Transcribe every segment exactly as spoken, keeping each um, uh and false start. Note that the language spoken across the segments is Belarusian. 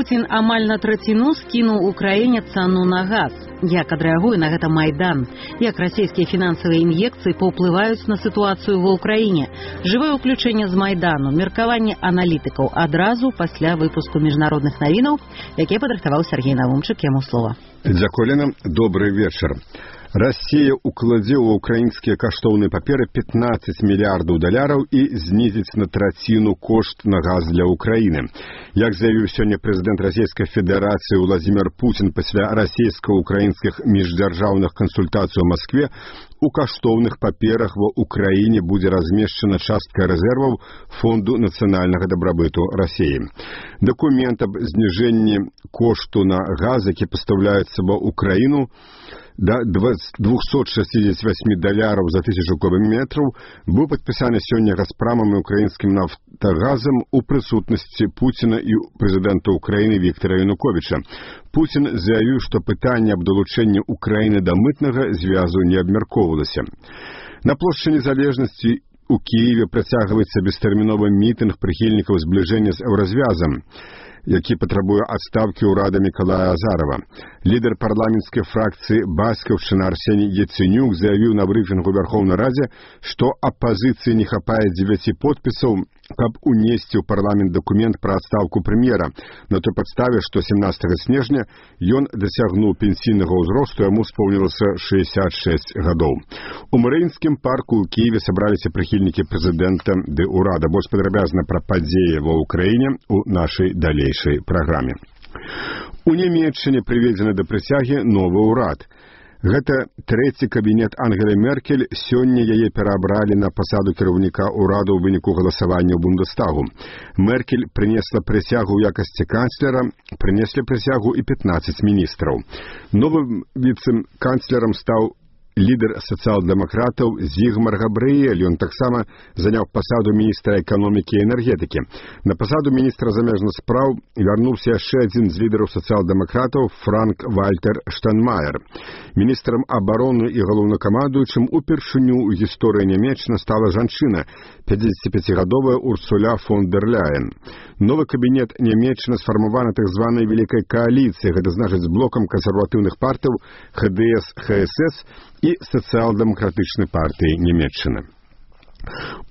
Пуцін амаль на траціну скінуў Украіне цану на газ. Як адрэагуе на гэта Майдан? Як расійскія фінансавыя ін'екцыі паўплываюць на сітуацыю ва ўкраіне? Жывое ўключэнне з Майдану, меркаванне аналітыкаў адразу пасля выпуску міжнародных навінаў, якія падрыхтаваў Сергей Навумчык, яму слова. Дзякуй, Лена. Добрый вечар. Расія укладзе ў украінскія каштоўныя паперы пятнаццаць мільярдаў даляраў і знізіць на траціну кошт на газ для Украіны. Як заявіў сёння прэзідэнт Расійскай Федэрацыі Владзімір Пуцін пасля расійска-украінскіх міждзяржаўных кансультацый у Маскве, у каштоўных паперах ва Украіне будзе размешчана частка рэзерваў Фонду нацыянальнага дабрабыту Расіі. Дакумент аб зніжэнні кошту на газ, які пастаўляецца ва Украіну, до двухсот шестидесяти восьми долларов за тысячу кубометров был подписан сегодня Газпромом и украинским нафтогазом у присутности Путина и президента Украины Виктора Януковича. Путин заявил, что питание об долучении Украины до мытного зв'язу не обмерковывалось. На площади Незалежности у Киеве протягивается бестэрміновы митинг прихильников сближения с Еврозвязом, які патрабуе адстаўкі ўрада Мікалая Азарова. Лідар парламенцкай фракцыі Бацькаўшчына Арсеній Яценюк заявіў на брыфінгу Верховнай Радзе, што апазіцыі не хапае дзевяці подпісаў, каб унесці ў парламент дакумент пра адстаўку прэм'ера, на той падставе, што семнадцатага снежня ён дасягнуў пенсійнага ўзросту, яму споўнілася шэсцьдзесят шэсць гадоў. У Марыінскім парку ў Киеве сабраліся прыхільнікі прэзідэнта ды ўрада. Больш падрабязна пра падзеі ва ўкраіне у нашай далейшай праграме. У Нямецчыне прыведзены да прысягі новы ўрад. Гэта трэці кабінет Ангелы Меркель, сёння яе пераабралі на пасаду кіраўніка ўраду ў выніку галасавання ў Бундестагу. Меркель прынесла прысягу ў якасці канцлера, прынеслі прысягу і пятнаццаць міністраў. Новым віцэ-канцлерам стаў лідар сацыял-дэмакратаў Зігмар Габрыэль. Ён таксама заняў пасаду міністра эканомікі і энергетыкі. На пасаду міністра замежных спраў вярнуўся яшчэ адзін з лідараў сацыял-дэмакратаў Франк Вальтер Штайнмаер. Міністрам абароны і галоўнакамандуючым упершыню ў гісторыі Нямецчыны стала жанчына, пяцідзесяціпяцігадовая Урсуля фон дер Ляйен. Новы кабінет Нямецчыны сфармаваны так званай Великай кааліцыі, гэта значыць з блокам кансерватыўных партыяў ха дэ эс ха эс эс і сацыял-дэмакратычнай партыі Нямецчыны.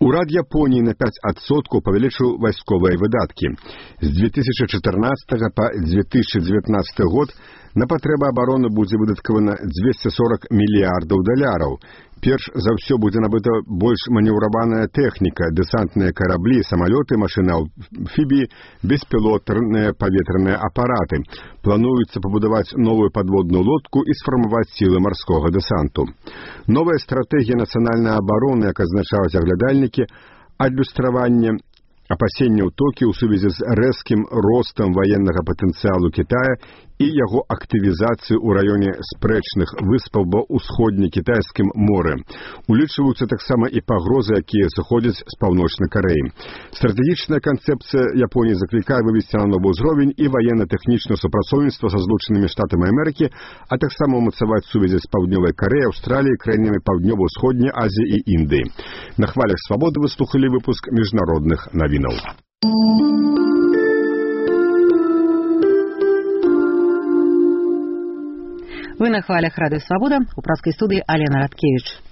Урад Японіі на пяць адсоткаў павялічыў вайсковыя выдаткі. З две тысячи чатырнаццатага па две тысячи девятнадцаты год на патрэбы абароны будзе выдаткавана двести сорок мільярдаў даляраў. Перш за ўсё будзе набыта больш манеўраваная тэхніка, дэсантныя караблі, самалёты, машыны-амфібіі, беспілотныя паветраныя апараты. Плануецца пабудаваць новую падводную лодку і сфармаваць сілы марскога дэсанту. Новая стратэгія нацыянальнай абароны, як азначаюць аглядальнікі, адлюстраванне апасення ўтокі ў сувязі з рэзкім ростам ваеннага патэнцыялу Кітая і яго актывізацыі ў раёне спрэчных выспаў ва ўсходне-кітайскім моры. Улічваюцца таксама і пагрозы, якія сыходзяць з паўночнай Карэі. Стратэгічная канцэпцыя Японіі заклікае вывесці на новы ўзровень і ваенна-тэхнічнае супрацоўніцтва са Злучанымі Штатамі Амерыкі, а таксама ўмацаваць сувязі з Паўднёвай Карэяй, Аўстраліяй, краінамі Паўднёва-ўсходняй Азіі і Індыі. На хвалях свабоды вы слухалі выпуск міжнародных навінаў. Вы на хвалях Радыё Свабода, у пражскай студыі Алена Радкевіч.